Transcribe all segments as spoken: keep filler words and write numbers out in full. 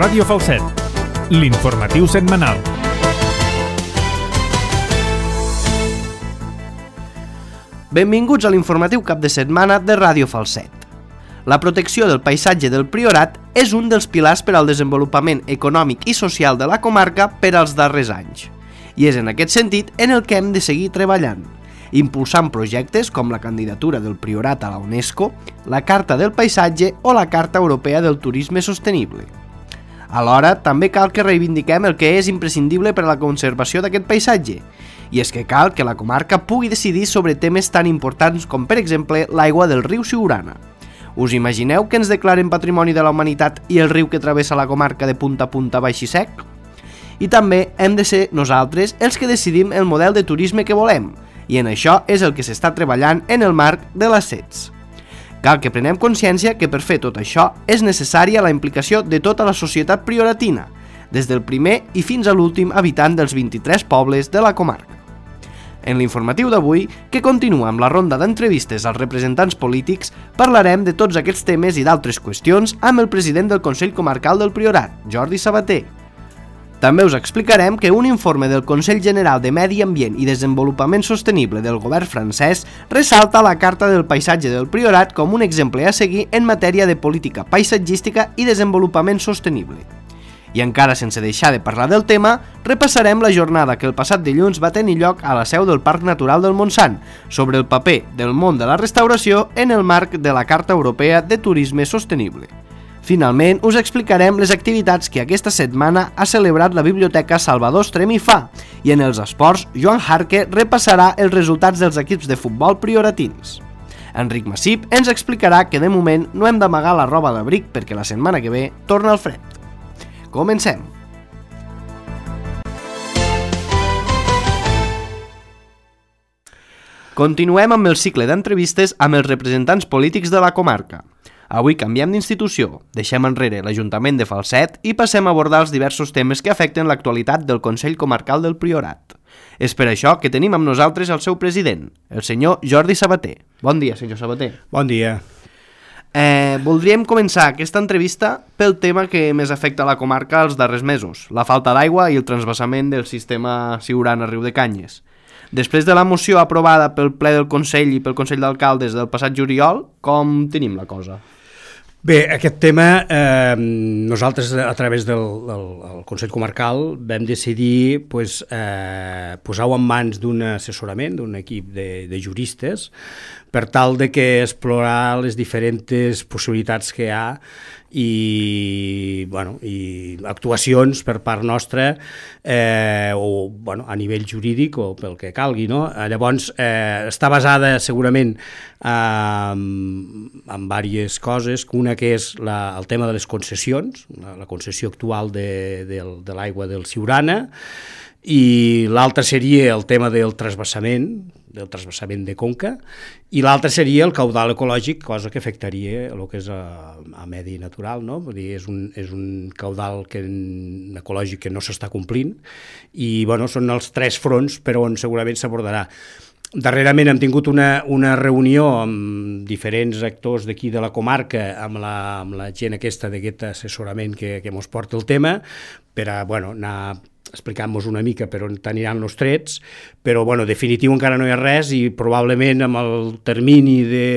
Ràdio Falset, l'informatiu setmanal. Benvinguts a l'informatiu cap de setmana de Ràdio Falset. La protecció del paisatge del Priorat és un dels pilars per al desenvolupament econòmic i social de la comarca per als darrers anys. I és en aquest sentit en el que hem de seguir treballant, impulsant projectes com la candidatura del Priorat a la UNESCO, la Carta del Paisatge o la Carta Europea del Turisme Sostenible. Alhora, també cal que reivindiquem el que és imprescindible per a la conservació d'aquest paisatge, i és que cal que la comarca pugui decidir sobre temes tan importants com, per exemple, l'aigua del riu Siurana. Us imagineu que ens declaren Patrimoni de la Humanitat i el riu que travessa la comarca de punta a punta baix i sec? I també hem de ser nosaltres els que decidim el model de turisme que volem, i en això és el que s'està treballant en el marc de l'A C E T S. Cal que prenem consciència que per fer tot això és necessària la implicació de tota la societat prioratina, des del primer i fins a l'últim habitant dels vint-i-tres pobles de la comarca. En l'informatiu d'avui, que continua amb la ronda d'entrevistes als representants polítics, parlarem de tots aquests temes i d'altres qüestions amb el president del Consell Comarcal del Priorat, Jordi Sabater. També us explicarem que un informe del Consell General de Medi Ambient i Desenvolupament Sostenible del govern francès ressalta la Carta del Paisatge del Priorat com un exemple a seguir en matèria de política paisatgística i desenvolupament sostenible. I encara sense deixar de parlar del tema, repassarem la jornada que el passat dilluns va tenir lloc a la seu del Parc Natural del Montsant sobre el paper del món de la restauració en el marc de la Carta Europea de Turisme Sostenible. Finalment, us explicarem les activitats que aquesta setmana ha celebrat la Biblioteca Salvador Estrem i Fa, i en els esports, Joan Jarque repassarà els resultats dels equips de futbol prioratins. Enric Massip ens explicarà que de moment no hem d'amagar la roba d'abric perquè la setmana que ve torna el fred. Comencem! Continuem amb el cicle d'entrevistes amb els representants polítics de la comarca. Avui canviem d'institució, deixem enrere l'Ajuntament de Falset i passem a abordar els diversos temes que afecten l'actualitat del Consell Comarcal del Priorat. És per això que tenim amb nosaltres el seu president, el senyor Jordi Sabater. Bon dia, senyor Sabater. Bon dia. Eh, voldríem començar aquesta entrevista pel tema que més afecta a la comarca els darrers mesos, la falta d'aigua i el transvasament del sistema Siurana-Riu de Canyes. Després de la moció aprovada pel ple del Consell i pel Consell d'Alcaldes del passat juliol, com tenim la cosa? Bé, aquest tema, eh, nosaltres a través del, del, del Consell Comarcal vam decidir pues, eh, posar-ho en mans d'un assessorament, d'un equip de, de juristes, per tal de que explorar les diferents possibilitats que hi ha i, bueno, i actuacions per part nostra eh, o bueno, a nivell jurídic o pel que calgui, no? Llavors eh, està basada segurament eh, en diverses coses, una que és la, el tema de les concessions, la, la concessió actual de, de, de l'aigua del Siurana, i l'altre seria el tema del transvasament, del transvasament de conca, i l'altre seria el caudal ecològic, cosa que afectaria el que és a, a medi natural, no? Vull dir, és un, és un caudal que, ecològic que no s'està complint, i bueno, són els tres fronts per on segurament s'abordarà. Darrerament hem tingut una, una reunió amb diferents actors d'aquí de la comarca, amb la, amb la gent aquesta d'aquest assessorament que, que mos porta el tema, per a bueno, anar explicant-nos una mica per on aniran els trets, però bueno, definitiu encara no hi ha res i probablement amb el termini de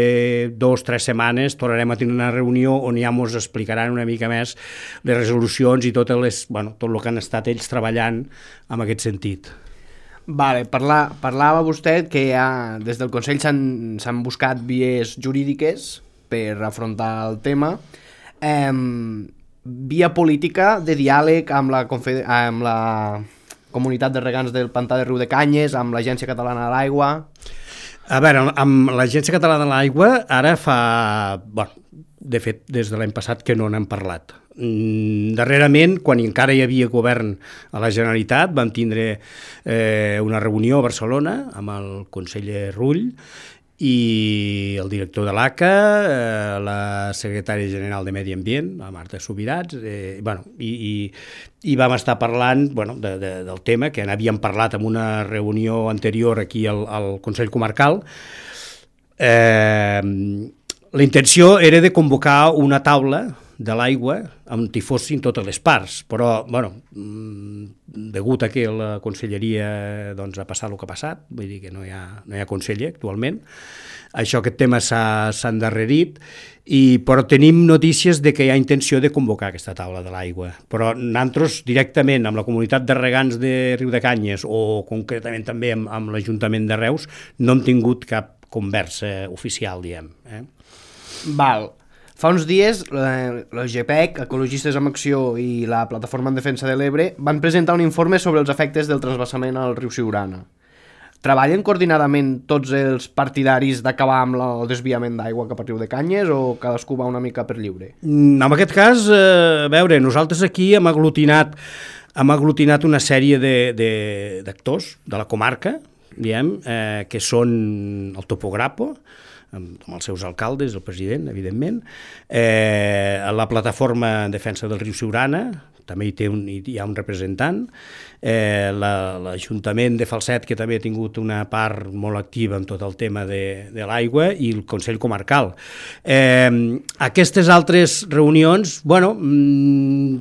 dos o tres setmanes tornarem a tenir una reunió on ja ens explicaran una mica més les resolucions i tot, les, bueno, tot el que han estat ells treballant en aquest sentit. Vale, parla, parlava vostè que ja des del Consell s'han buscat vies jurídiques per afrontar el tema. Eh, via política de diàleg amb la, amb la comunitat de regants del Pantà de Riu de Canyes, amb l'Agència Catalana de l'Aigua. A veure, amb l'Agència Catalana de l'Aigua ara fa, bueno, de fet des de l'any passat que no n'hem parlat. Darrerament, quan encara hi havia govern a la Generalitat, vam tindre eh, una reunió a Barcelona amb el conseller Rull i el director de l'A C A, eh, la secretària general de Medi Ambient, la Marta Subirats, eh, bueno, i, i, i vam estar parlant bueno, de, de, del tema, que n'havíem parlat en una reunió anterior aquí al, al Consell Comarcal. Eh, la intenció era de convocar una taula de l'aigua on hi fossin totes les parts, però, bueno, degut a que la conselleria doncs, ha passat el que ha passat, vull dir que no hi ha, no hi ha conseller actualment, això, aquest tema s'ha endarrerit, i, però tenim notícies de que hi ha intenció de convocar aquesta taula de l'aigua. Però nosaltres directament amb la comunitat de regants de Riudecanyes o concretament també amb, amb l'Ajuntament de Reus no hem tingut cap conversa oficial, diguem. Eh? Val. Fa uns dies, la G P E C, Ecologistes en Acció i la Plataforma en Defensa de l'Ebre van presentar un informe sobre els efectes del transvasament al riu Siurana. Treballen coordinadament tots els partidaris d'acabar amb el desviament d'aigua cap a Riudecanyes o cadascú va una mica per lliure? En aquest cas, eh, a veure, nosaltres aquí hem aglutinat, hem aglutinat una sèrie d'actors de, de, de la comarca, diguem, eh, que són el Topograpo, amb els seus alcaldes, el president, evidentment, eh, la Plataforma en Defensa del Riu Siurana, també hi, té un, hi ha un representant, eh, l'Ajuntament de Falset, que també ha tingut una part molt activa en tot el tema de, de l'aigua, i el Consell Comarcal. Eh, aquestes altres reunions, bueno,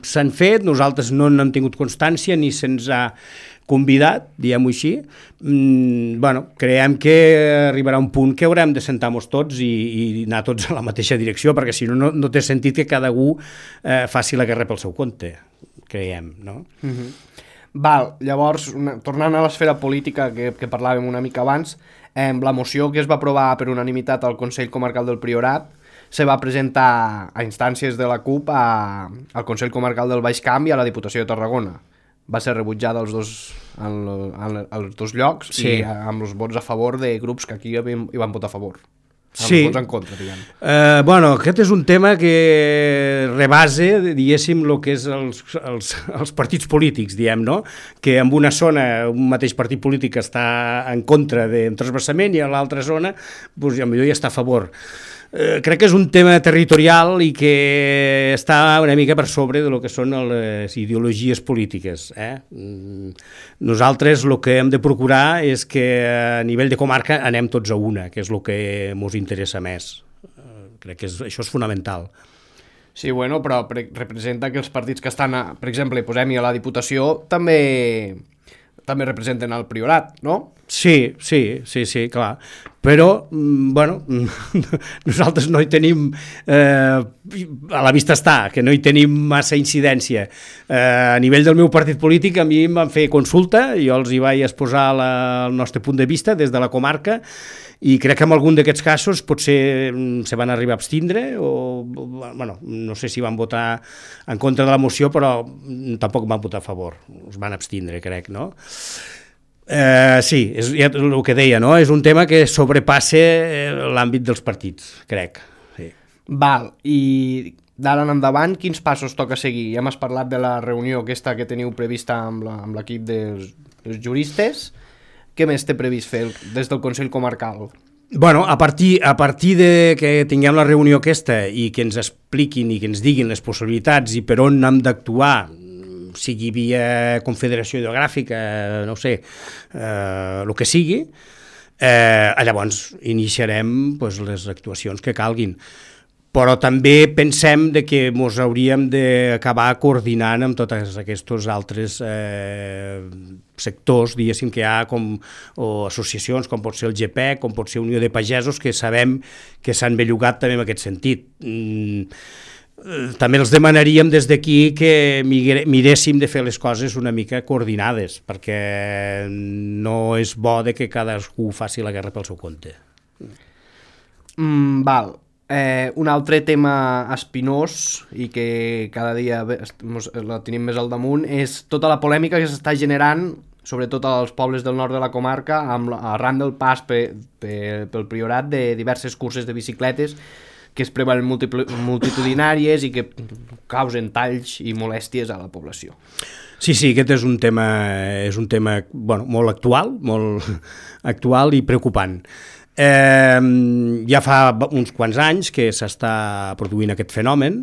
s'han fet, nosaltres no n'hem tingut constància, ni se'ns ha convidat, diguem-ho així. Mm, bueno, creiem que arribarà un punt que haurem de sentar-nos tots i, i anar tots a la mateixa direcció, perquè si no, no, no té sentit que cada un eh, faci la guerra pel seu compte, creiem, no? Mm-hmm. Val, llavors, una, tornant a l'esfera política que, que parlàvem una mica abans, eh, la moció que es va aprovar per unanimitat al Consell Comarcal del Priorat se va presentar a instàncies de la CUP a, al Consell Comarcal del Baix Camp i a la Diputació de Tarragona. Va ser rebutjada als dos, en, en, als dos llocs, sí, i amb els vots a favor de grups que aquí hi van votar a favor. Amb sí. Els vots en contra, diguem. Eh, bueno, aquest és un tema que rebase, diguéssim, el que és els, els, els partits polítics, diguem, no? Que en una zona un mateix partit polític està en contra d'un transvasament i a l'altra zona, doncs, potser hi està a favor. Eh, crec que és un tema territorial i que està una mica per sobre de lo que són les ideologies polítiques. Eh? Nosaltres el que hem de procurar és que a nivell de comarca anem tots a una, que és el que ens interessa més. Eh, crec que és, això és fonamental. Sí, bueno, però representa que els partits que estan, a, per exemple, posem-hi a la Diputació, també... també representen el Priorat, no? Sí, sí, sí, sí, clar. Però, bueno, nosaltres no hi tenim, eh, a la vista està, que no hi tenim massa incidència. Eh, a nivell del meu partit polític, a mi em van fer consulta, jo els hi vaig exposar la, el nostre punt de vista des de la comarca, i crec que en algun d'aquests casos potser se van arribar a abstindre, o, bueno, no sé si van votar en contra de la moció, però tampoc van votar a favor, es van abstindre, crec, no? Eh, sí, és ja el que deia, no? És un tema que sobrepassa l'àmbit dels partits, crec. Sí. Val, i d'ara en endavant, quins passos toca seguir? Ja m'has parlat de la reunió aquesta que teniu prevista amb l'equip dels, dels juristes. Què més té previst fer des del Consell Comarcal? Bueno, a partir, a partir de que tinguem la reunió aquesta i que ens expliquin i que ens diguin les possibilitats i per on hem d'actuar, sigui via Confederació Hidrogràfica, no sé, eh, el que sigui, eh, llavors iniciarem pues, les actuacions que calguin. Però també pensem de que ens hauríem d'acabar coordinant amb tots aquests altres eh, sectors, diguéssim, que hi ha com, o associacions, com pot ser el G P E C, com pot ser Unió de Pagesos, que sabem que s'han bellugat també en aquest sentit. Mm, també els demanaríem des d'aquí que miréssim de fer les coses una mica coordinades, perquè no és bo de que cadascú faci la guerra pel seu compte. Mm, val. Eh, un altre tema espinós i que cada dia la tenim més al damunt és tota la polèmica que s'està generant sobretot als pobles del nord de la comarca amb la, arran del pas pe, pe, pel Priorat de diverses curses de bicicletes que es preveuen multitudinàries i que causen talls i molèsties a la població. Sí, sí, aquest és un tema, és un tema bueno, molt actual, molt actual i preocupant. Eh, ja fa uns quants anys que s'està produint aquest fenomen,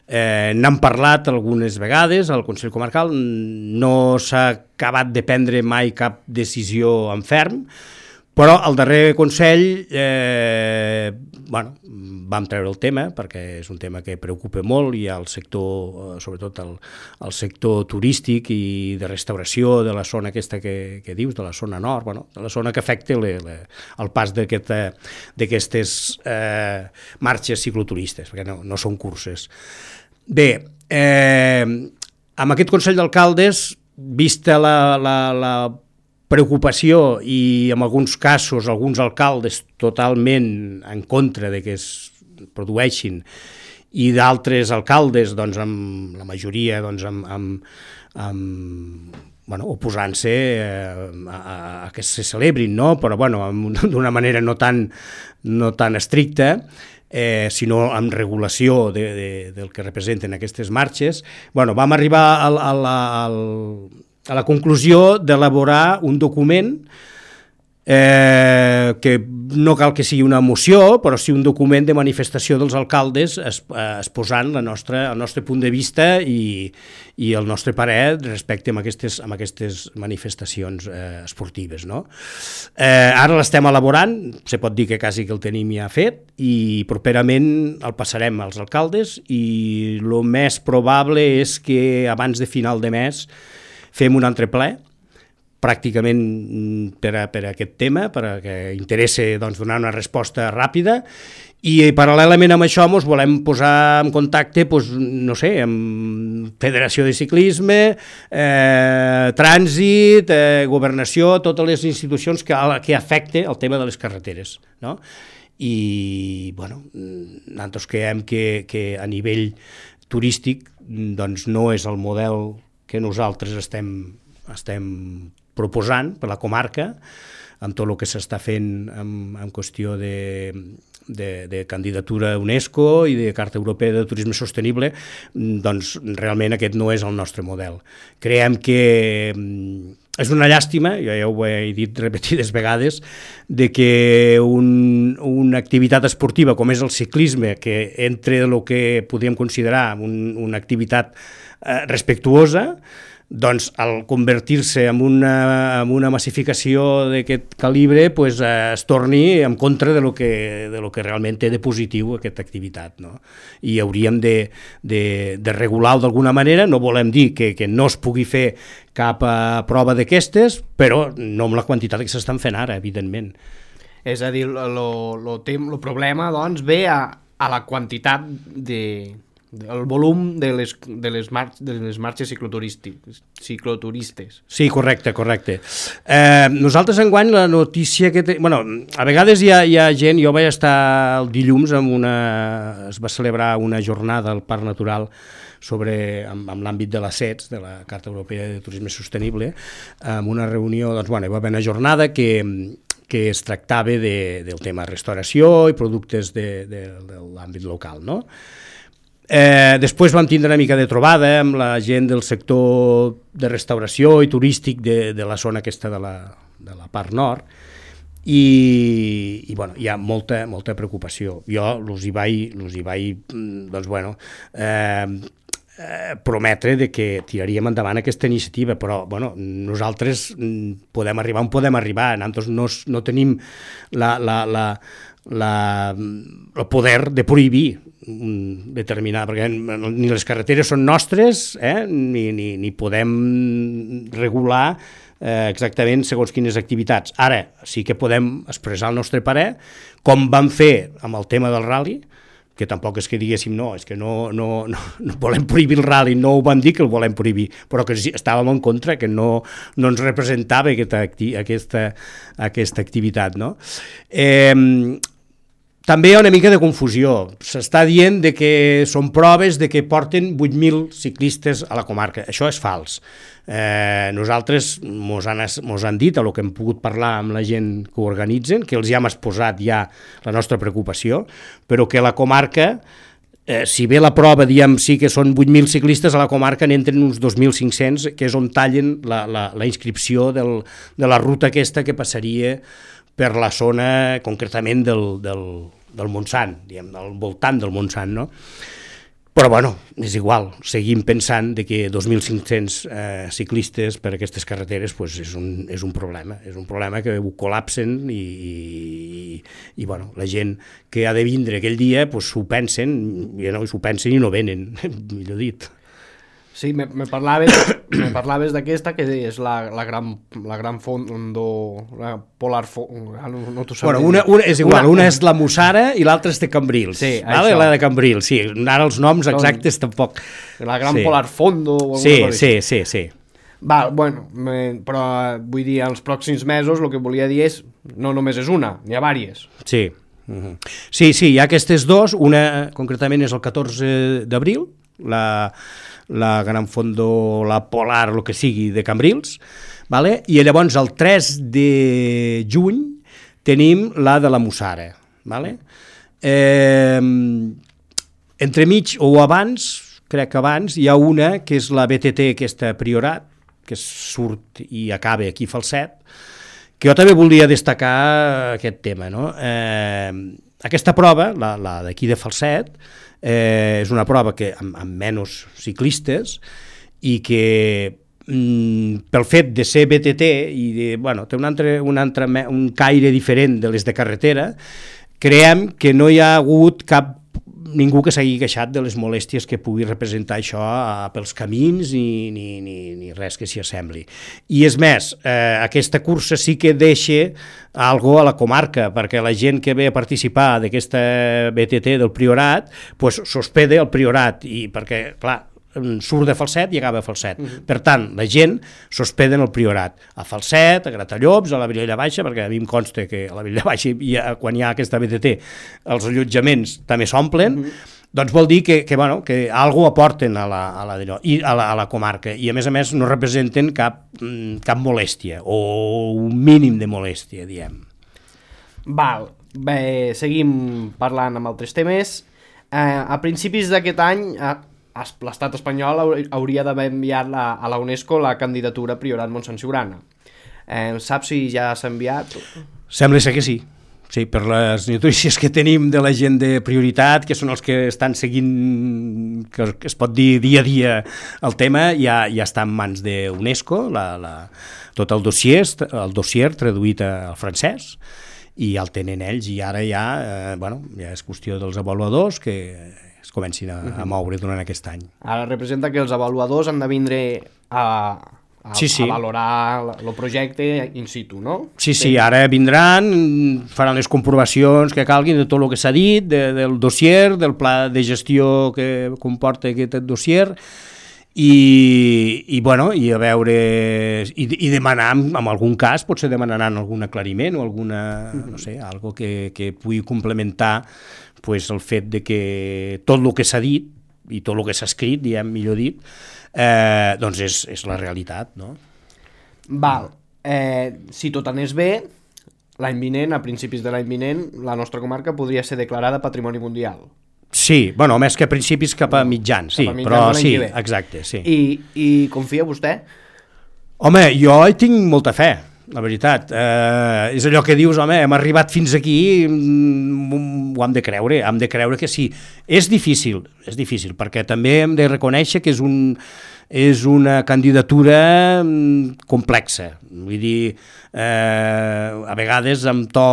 eh, n'hem parlat algunes vegades al Consell Comarcal, no s'ha acabat de prendre mai cap decisió en ferm, Però al darrer Consell eh, bueno, vam treure el tema perquè és un tema que preocupa molt i el sector, sobretot el, el sector turístic i de restauració de la zona aquesta que, que dius, de la zona nord, bueno, de la zona que afecta le, le, el pas d'aquestes eh, marxes cicloturistes, perquè no, no són curses. Bé, eh, amb aquest Consell d'Alcaldes, vista la, la, la preocupació i en alguns casos alguns alcaldes totalment en contra de que es produeixin i d'altres alcaldes, doncs, amb la majoria doncs, amb, amb, amb, bueno, oposant-se a, a que se celebrin, no? Però bueno, d'una manera no tan, no tan estricta, eh, sinó amb regulació de, de, del que representen aquestes marxes. Bueno, vam arribar al, al, al a la conclusió d'elaborar un document eh, que no cal que sigui una moció, però sí un document de manifestació dels alcaldes exposant la nostra, el nostre punt de vista i, i el nostre parer respecte a aquestes, a aquestes manifestacions eh, esportives. No? Eh, ara l'estem elaborant, se pot dir que quasi que el tenim ja fet, i properament el passarem als alcaldes i el més probable és que abans de final de mes fem un altre ple, pràcticament per a, per a aquest tema, perquè interessa doncs, donar una resposta ràpida, i paral·lelament amb això ens volem posar en contacte, doncs, no sé, amb Federació de Ciclisme, eh, Trànsit, eh, Governació, totes les institucions que, que afecten el tema de les carreteres, no? I, bueno, nosaltres creiem que, que a nivell turístic doncs, no és el model que nosaltres estem, estem proposant per la comarca, amb tot el que s'està fent en, en qüestió de, de, de candidatura a UNESCO i de Carta Europea de Turisme Sostenible, doncs realment aquest no és el nostre model. Creiem que és una llàstima, jo ja ho he dit repetides vegades, de que un, una activitat esportiva com és el ciclisme, que entre el que podríem considerar un, una activitat eh, respectuosa, doncs al convertir-se en una, en una massificació d'aquest calibre pues, eh, es torni en contra de lo que, de lo que realment té de positiu aquesta activitat. No? I hauríem de, de, de regular-ho d'alguna manera, no volem dir que, que no es pugui fer cap a prova d'aquestes, però no amb la quantitat que s'estan fent ara, evidentment. És a dir, el problema doncs, ve a, a la quantitat de... el volum de les, de les, mar de les marxes cicloturistes. Sí, correcte, correcte. Eh, nosaltres enguany la notícia que... Te... Bueno, a vegades hi ha, hi ha gent... Jo vaig estar el dilluns amb una... Es va celebrar una jornada al Parc Natural sobre, amb, amb l'àmbit de la C E T S, de la Carta Europea de Turisme Sostenible, amb una reunió, doncs, bueno, hi va haver una jornada que... que es tractava de, del tema restauració i productes de, de, de l'àmbit local, no? Eh, després vam tindre una mica de trobada amb la gent del sector de restauració i turístic de, de la zona aquesta de la, de la part nord i, i bueno, hi ha molta, molta preocupació. Jo els hi vaig, els hi vaig doncs, bueno, eh, eh, prometre de que tiraríem endavant aquesta iniciativa, però bueno, nosaltres podem arribar on podem arribar, nosaltres no, no tenim la, la, la, la, el poder de prohibir determinar, perquè ni les carreteres són nostres, eh? ni, ni, ni podem regular eh, exactament segons quines activitats. Ara sí que podem expressar el nostre parer, com vam fer amb el tema del rally, que tampoc és que diguéssim no, és que no, no, no, no volem prohibir el rally, no ho vam dir que el volem prohibir, però que estàvem en contra, que no, no ens representava aquesta, aquesta, aquesta activitat. No? Eh, També hi ha una mica de confusió. S'està dient de que són proves de que porten vuit mil ciclistes a la comarca. Això és fals. Eh, nosaltres mos han, mos han dit, a lo que hem pogut parlar amb la gent que ho organitzen, que els hi hem exposat ja la nostra preocupació, però que la comarca, eh, si bé la prova, diem, sí que són vuit mil ciclistes, a la comarca n'entren uns dos mil cinc-cents, que és on tallen la, la, la inscripció del, de la ruta aquesta que passaria per la zona concretament del, del, del Montsant, diguem, del voltant del Montsant, no? Però, bueno, és igual, seguim pensant de que dos mil cinc-cents eh, ciclistes per aquestes carreteres pues, és, un, és un problema, és un problema que ho col·lapsen i, i, i bueno, la gent que ha de vindre aquell dia pues, s'ho pensen, i no, s'ho pensen i no venen, millor dit. Sí, me, me parlaves, me parlaves d'aquesta, que és la, la gran, la gran fondo, la Polar Fondo, no, no t'ho sabia. Bueno, una, una, és igual, una, una és la Mussara i l'altra és de Cambrils, sí, vale? La de Cambrils, sí, ara els noms exactes tampoc. La gran sí. Polar Fondo o alguna sí, cosa sí, sí, sí. Val, bueno, me, però vull dir, els pròxims mesos el que volia dir és, no només és una, n'hi ha vàries. Sí, uh-huh. sí, sí, hi ha aquestes dos, una concretament és el catorze d'abril, la... la Gran Fondo, la Polar, el que sigui, de Cambrils, vale? I llavors el tres de juny tenim la de la Mussara. Vale? Eh, entremig o abans, crec que abans, hi ha una que és la B T T, aquesta Priorat, que surt i acaba aquí a Falset, que jo també volia destacar aquest tema. No? Eh, aquesta prova, la, la d'aquí de Falset, Eh, és una prova que amb, amb menys ciclistes i que mm, pel fet de ser B T T i de, bueno, té un, altre, un, altre, un caire diferent de les de carretera, creiem que no hi ha hagut cap ningú que s'hagi queixat de les molèsties que pugui representar això a, pels camins ni, ni, ni, ni res que s'hi assembli. I és més, eh, aquesta cursa sí que deixa algo a la comarca, perquè la gent que ve a participar d'aquesta B T T del Priorat, pues, s'hospeda al Priorat, i perquè, clar, surt de Falset i acaba a Falset. Uh-huh. Per tant, la gent s'hospeda en el Priorat, a Falset, a Gratallops, a la Vilella Baixa, perquè a mi em consta que a la Vilella Baixa, hi ha, quan hi ha aquesta B T T, els allotjaments també s'omplen, uh-huh. Doncs vol dir que, que, bueno, que algo aporten a la, a, la, i a, la, a la comarca, i a més a més no representen cap, cap molèstia, o un mínim de molèstia, diem. Val, bé, seguim parlant amb altres temes. Eh, a principis d'aquest any, eh, l'estat espanyol hauria d'haver enviat la, a la UNESCO la candidatura Priorat Montsant Siurana. Eh, saps si ja s'ha enviat? Sembla ser que sí. Sí, per les notícies que tenim de la gent de prioritat, que són els que estan seguint, que es pot dir dia a dia el tema, ja, ja està en mans de UNESCO, la, la, tot el dossier, el dossier traduït al francès, i ja el tenen ells, i ara ja, eh, bueno, ja és qüestió dels avaluadors que es comencin a, a moure durant aquest any. Ara representa que els avaluadors han de vindre a... A, sí, sí. a valorar el projecte in situ, no? Sí, sí, ara vindran, faran les comprovacions que calguin de tot el que s'ha dit, de, del dossier, del pla de gestió que comporta aquest dossier, i, i, bueno, i a veure, i, i demanar, en algun cas, potser demanaran algun aclariment o alguna, no sé, algo que, que pugui complementar pues, el fet de que tot el que s'ha dit, i tot el que s'ha escrit, diem, millor dit, Eh, doncs és, és la realitat, no? Val, eh, si tot anés bé, l'any vinent, a principis de l'any vinent, la nostra comarca podria ser declarada Patrimoni Mundial. Sí, bueno, més que a principis cap a mitjans, sí, mitjans però sí, exacte, sí. I, I confia vostè? Home, jo hi tinc molta fe, la veritat. Eh, és allò que dius, home, hem arribat fins aquí, ho hem de creure, hem de creure que sí. És difícil, és difícil, perquè també hem de reconèixer que és, un, és una candidatura complexa. Vull dir, eh, a vegades amb to,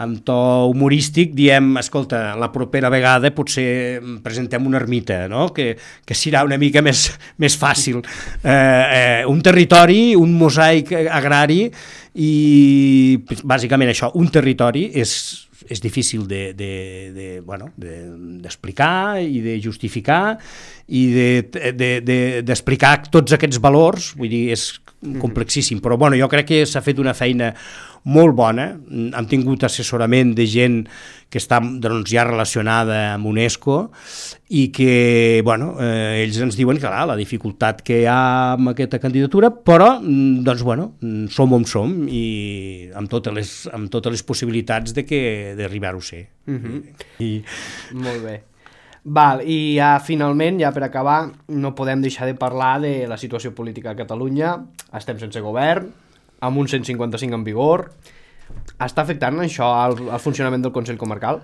amb to humorístic diem, escolta, la propera vegada potser presentem una ermita, no? que, que serà una mica més, més fàcil. Eh, eh, un territori, un mosaic agrari i bàsicament això, un territori és... és difícil de, de, de, bueno, de, d'explicar i de justificar i de, de, de, d'explicar tots aquests valors, vull dir, és complexíssim, però bueno, jo crec que s'ha fet una feina molt bona, hem tingut assessorament de gent que està doncs, ja relacionada amb UNESCO i que, bueno, eh, ells ens diuen que clar, la dificultat que hi ha amb aquesta candidatura, però, doncs, bueno, som on som i amb totes les, amb totes les possibilitats de que d'arribar-ho a ser. Uh-huh. I... Molt bé. Val, i ja finalment, ja per acabar, no podem deixar de parlar de la situació política a Catalunya. Estem sense govern, amb un cent cinquanta-cinc en vigor. Està afectant això al, al funcionament del Consell Comarcal?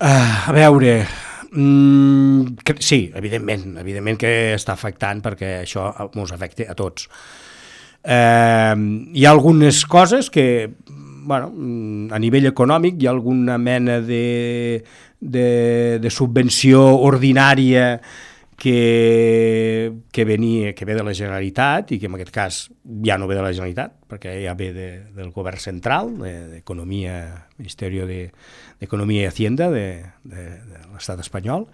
Uh, a veure, Mm, que, sí, evidentment, evidentment que està afectant perquè això ens afecta a tots. Eh, hi ha algunes coses que, bueno, a nivell econòmic hi ha alguna mena de, de, de subvenció ordinària que, que, venia, que ve de la Generalitat i que en aquest cas ja no ve de la Generalitat perquè ja ve de, del govern central, d'Economia, de Ministeri d'Economia i Hacienda de, de, de l'estat espanyol,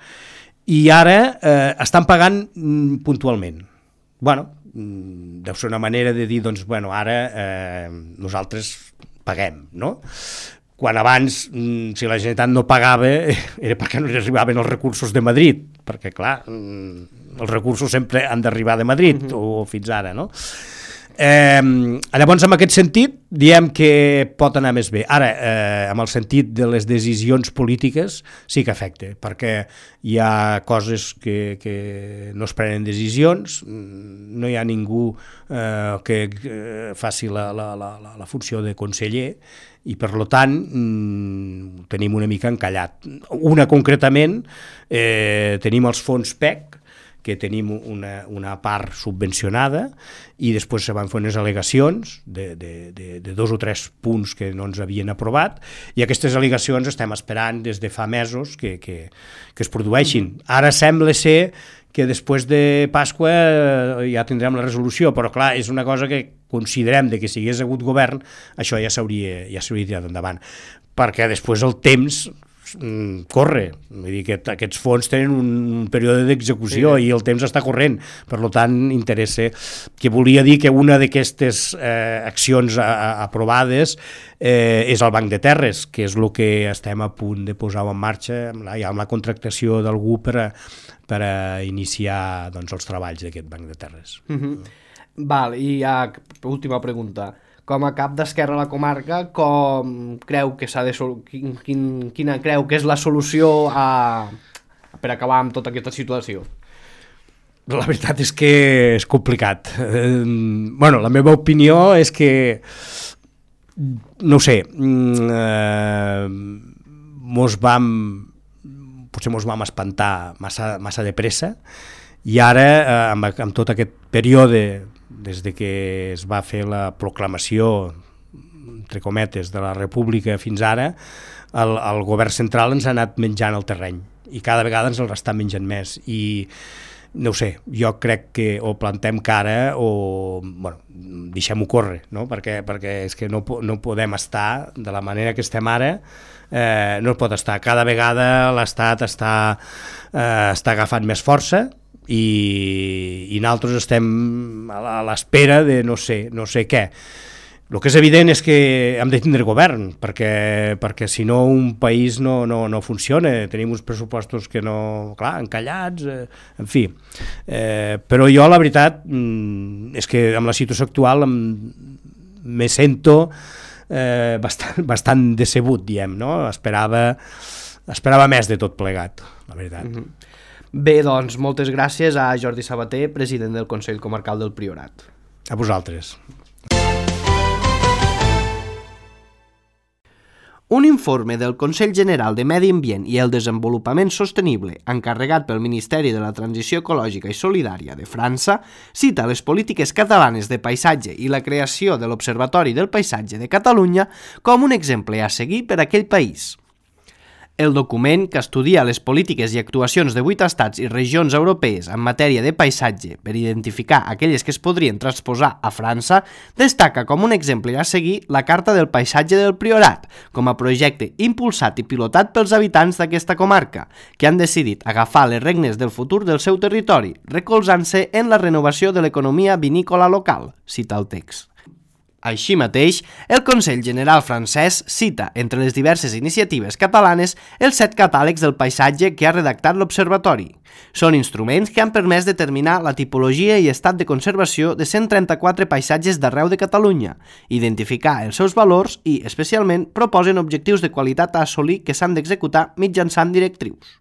i ara eh, estan pagant mm, puntualment. Bueno, mm, deu ser una manera de dir, doncs, bueno, ara eh, nosaltres paguem, no? Quan abans, si la Generalitat no pagava, era perquè no li arribaven els recursos de Madrid, perquè, clar, els recursos sempre han d'arribar de Madrid, uh-huh. o fins ara, no? Eh, llavors, en aquest sentit, diem que pot anar més bé. Ara, eh, amb el sentit de les decisions polítiques, sí que afecta, perquè hi ha coses que, que no es prenen decisions, no hi ha ningú eh, que, que faci la, la, la, la funció de conseller, i per tant mmm, tenim una mica encallat. Una concretament, eh, tenim els fons P E C, que tenim una, una part subvencionada i després se van fer unes al·legacions de, de, de, de dos o tres punts que no ens havien aprovat i aquestes al·legacions estem esperant des de fa mesos que, que, que es produeixin. Ara sembla ser que després de Pasqua ja tindrem la resolució, però clar, és una cosa que considerem de que si hagués hagut govern, això ja s'hauria ja s'hauria tirat endavant, perquè després el temps mm, corre, vull dir que aquests fons tenen un període d'execució sí. i el temps està corrent, per tant interessa, que volia dir que una d'aquestes eh, accions a, a, aprovades eh, és el Banc de Terres, que és el que estem a punt de posar en marxa, amb la, ja amb la contractació d'algú per a, per a iniciar doncs, els treballs d'aquest Banc de Terres. Mm-hmm. Val, i ja, última pregunta. Com a cap d'Esquerra a la comarca, com creu que s'ha de sol... quin, quin, quina creu que és la solució a... per acabar amb tota aquesta situació? La veritat és que és complicat. Eh, bueno, la meva opinió és que, no ho sé, eh, mos vam, potser mos vam espantar massa, massa de pressa i ara, eh, amb, amb tot aquest període des de que es va fer la proclamació, entre cometes, de la República fins ara, el, el govern central ens ha anat menjant el terreny i cada vegada ens el està menjant més i no ho sé, jo crec que o plantem cara o bueno, deixem-ho córrer, no? perquè, perquè és que no, no podem estar de la manera que estem ara, eh, no pot estar. Cada vegada l'Estat està, eh, està agafant més força i, i nosaltres estem a l'espera de no sé, no sé què. El que és evident és que hem de tindre govern, perquè, perquè si no un país no, no, no funciona, tenim uns pressupostos que no, clar, encallats, eh, en fi. Eh, però jo la veritat mm, és que amb la situació actual em, me sento eh, bastant, bastant decebut, diem, no? Esperava, esperava més de tot plegat, la veritat. Mm-hmm. Bé, doncs, moltes gràcies a Jordi Sabater, president del Consell Comarcal del Priorat. A vosaltres. Un informe del Consell General de Medi Ambient i el Desenvolupament Sostenible, encarregat pel Ministeri de la Transició Ecològica i Solidària de França, cita les polítiques catalanes de paisatge i la creació de l'Observatori del Paisatge de Catalunya com un exemple a seguir per a aquell país. El document, que estudia les polítiques i actuacions de vuit estats i regions europees en matèria de paisatge per identificar aquelles que es podrien transposar a França, destaca com un exemple a seguir la Carta del Paisatge del Priorat, com a projecte impulsat i pilotat pels habitants d'aquesta comarca, que han decidit agafar les regnes del futur del seu territori, recolzant-se en la renovació de l'economia vinícola local, cita el text. Així mateix, el Consell General francès cita, entre les diverses iniciatives catalanes, els set catàlegs del paisatge que ha redactat l'Observatori. Són instruments que han permès determinar la tipologia i estat de conservació de cent trenta-quatre paisatges d'arreu de Catalunya, identificar els seus valors i, especialment, proposen objectius de qualitat a assolir que s'han d'executar mitjançant directrius.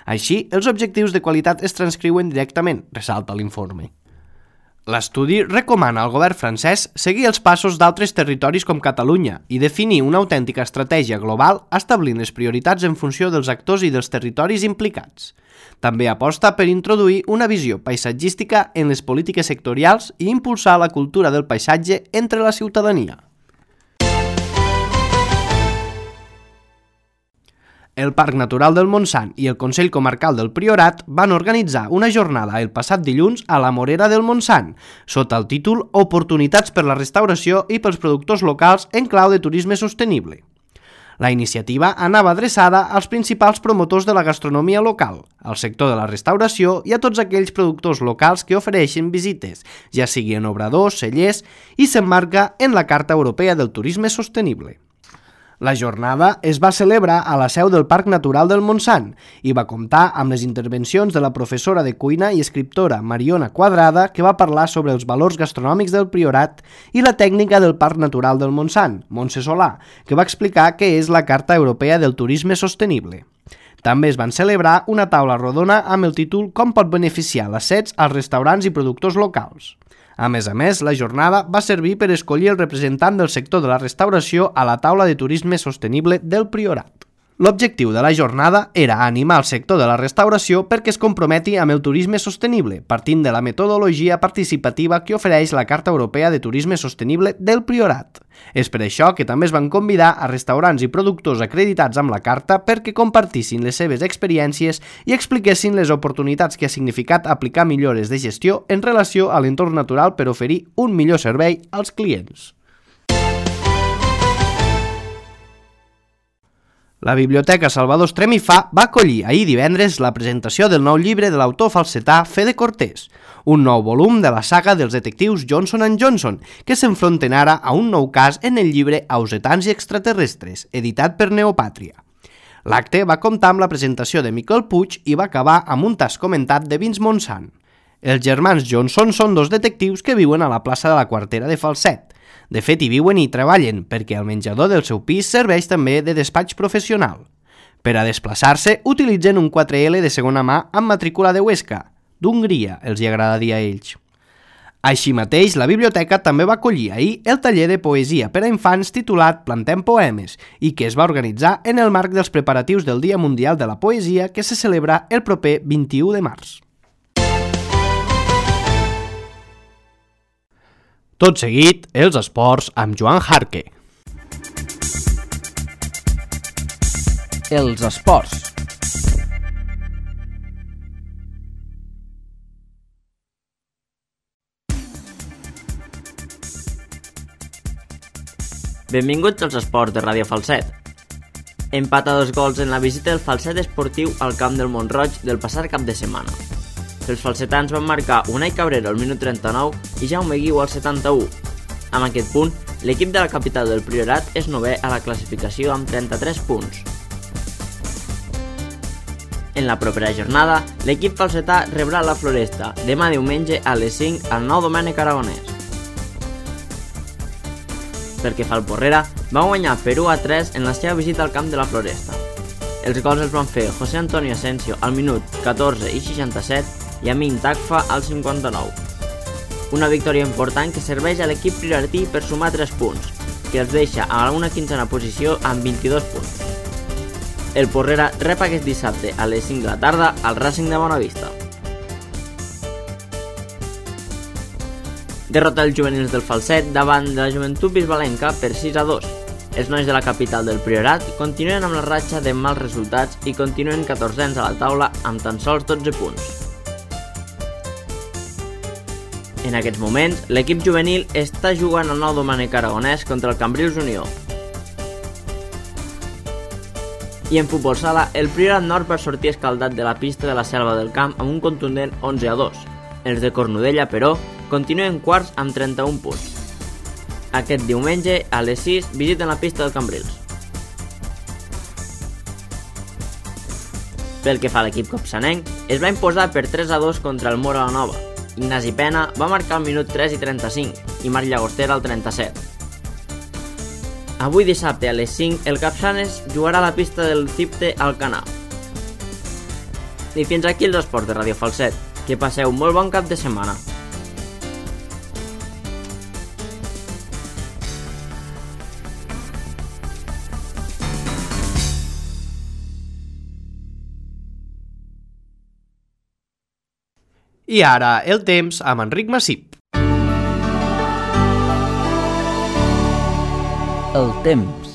Així, els objectius de qualitat es transcriuen directament, ressalta l'informe. L'estudi recomana al govern francès seguir els passos d'altres territoris com Catalunya i definir una autèntica estratègia global establint les prioritats en funció dels actors i dels territoris implicats. També aposta per introduir una visió paisatgística en les polítiques sectorials i impulsar la cultura del paisatge entre la ciutadania. El Parc Natural del Montsant i el Consell Comarcal del Priorat van organitzar una jornada el passat dilluns a la Morera del Montsant, sota el títol Oportunitats per la restauració i pels productors locals en clau de turisme sostenible. La iniciativa anava adreçada als principals promotors de la gastronomia local, al sector de la restauració i a tots aquells productors locals que ofereixen visites, ja sigui en obradors, cellers, i s'emmarca en la Carta Europea del Turisme Sostenible. La jornada es va celebrar a la seu del Parc Natural del Montsant i va comptar amb les intervencions de la professora de cuina i escriptora Mariona Quadrada, que va parlar sobre els valors gastronòmics del Priorat, i la tècnica del Parc Natural del Montsant, Montse Solà, que va explicar què és la Carta Europea del Turisme Sostenible. També es van celebrar una taula rodona amb el títol Com pot beneficiar l'ascens als restaurants i productors locals. A més a més, la jornada va servir per escollir el representant del sector de la restauració a la taula de turisme sostenible del Priorat. L'objectiu de la jornada era animar el sector de la restauració perquè es comprometi amb el turisme sostenible, partint de la metodologia participativa que ofereix la Carta Europea de Turisme Sostenible del Priorat. És per això que també es van convidar a restaurants i productors acreditats amb la Carta perquè compartissin les seves experiències i expliquessin les oportunitats que ha significat aplicar millores de gestió en relació a l'entorn natural per oferir un millor servei als clients. La Biblioteca Salvador Estremifà va acollir ahir divendres la presentació del nou llibre de l'autor falsetà Fede Cortés, un nou volum de la saga dels detectius Johnson and Johnson, que s'enfronten ara a un nou cas en el llibre Ausetans i extraterrestres, editat per Neopàtria. L'acte va comptar amb la presentació de Miquel Puig i va acabar amb un tas comentat de Vince Montsant. Els germans Johnson són dos detectius que viuen a la plaça de la Quartera de Falset. De fet, hi viuen i treballen, perquè el menjador del seu pis serveix també de despatx professional. Per a desplaçar-se, utilitzen un quatre ele de segona mà amb matrícula de Huesca, d'Hongria, els hi agrada dir a ells. Així mateix, la biblioteca també va acollir ahir el taller de poesia per a infants titulat Plantem Poemes i que es va organitzar en el marc dels preparatius del Dia Mundial de la Poesia que se celebra el proper vint-i-u de març. Tot seguit, els esports amb Joan Jarque. Els esports. Benvinguts als esports de Ràdio Falset. Empat a dos gols en la visita del Falset esportiu al camp del Mont-roig del passat cap de setmana. Els falsetans van marcar Unai Cabrera al minut trenta-nou i Jaume Guiu al setanta-u. Amb aquest punt, l'equip de la capital del Priorat és novè a la classificació amb trenta-tres punts. En la propera jornada, l'equip falsetà rebrà la Floresta demà diumenge a les cinc al Nou Domènec Aragonès. Pel que fa al Porrera, va guanyar per u a tres en la seva visita al camp de la Floresta. Els gols els van fer José Antonio Asensio al minut catorze i seixanta-set i Amin Takfa al cinquanta-nou. Una victòria important que serveix a l'equip prioratí per sumar tres punts, que els deixa a una quinzena posició amb vint-i-dos punts. El Porrera rep aquest dissabte a les cinc de la tarda al Racing de Bonavista. Derrota els juvenils del Falset davant de la Joventut Bisbalenca per sis a dos. Els nois de la capital del Priorat continuen amb la ratxa de mals resultats i continuen catorzens a la taula amb tan sols dotze punts. En aquests moments, l'equip juvenil està jugant al Nou Domènec Aragonès contra el Cambrils Unió. I en futbol sala, el Priorat Nord va sortir escaldat de la pista de la Selva del Camp amb un contundent onze a dos. Els de Cornudella, però, continuen quarts amb trenta-un punts. Aquest diumenge, a les sis, visiten la pista del Cambrils. Pel que fa a l'equip copsanenc, es va imposar per tres a dos contra el Mora la Nova. Ignasi Pena va marcar al minut tres i trenta-cinc i Marc Llagostera al trenta-set. Avui dissabte a les cinc el Capçanes jugarà a la pista del Cipte Alcanar. I fins aquí els esports de Ràdio Falset. Que passeu un molt bon cap de setmana. I ara el temps amb Enric Massip. El temps.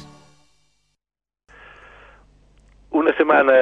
Una setmana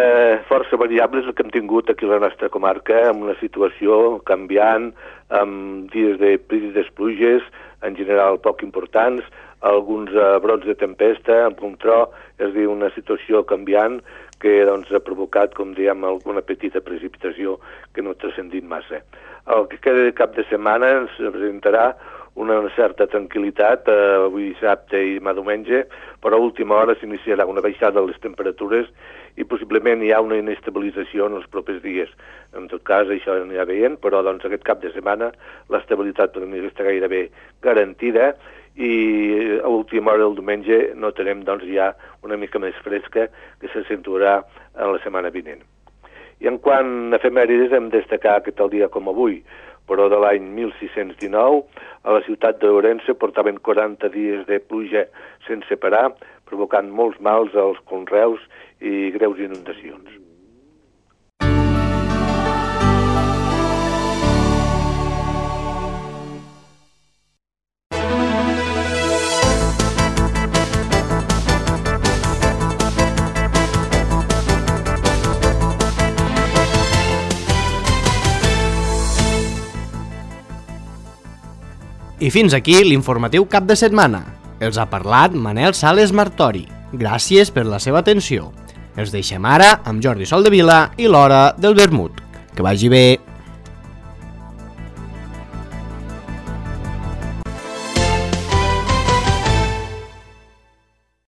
força variable és el que hem tingut aquí a la nostra comarca, amb una situació canviant, amb dies de prídides pluges, en general poc importants, alguns uh, brots de tempesta, amb un tro, és a dir, una situació canviant que doncs, ha provocat, com diem, alguna petita precipitació que no ha transcendit massa. El que queda de cap de setmana ens presentarà una certa tranquil·litat, eh, avui dissabte i demà diumenge, però a última hora s'iniciarà una baixada de les temperatures i possiblement hi ha una inestabilització en els propers dies. En tot cas, això anirà veient, però doncs, aquest cap de setmana l'estabilitat per mi està gairebé garantida i a última hora del diumenge notarem doncs, ja una mica més fresca que s'accentuarà en la setmana vinent. I en quant a efemèrides hem de destacar que tal dia com avui, però de l'any mil sis-cents dinou, a la ciutat d'Ourense portaven quaranta dies de pluja sense parar, provocant molts mals als conreus i greus inundacions. I fins aquí l'informatiu cap de setmana. Els ha parlat Manel Sales Martori. Gràcies per la seva atenció. Els deixem ara amb Jordi Soldevila i l'Hora del Vermut. Que vagi bé.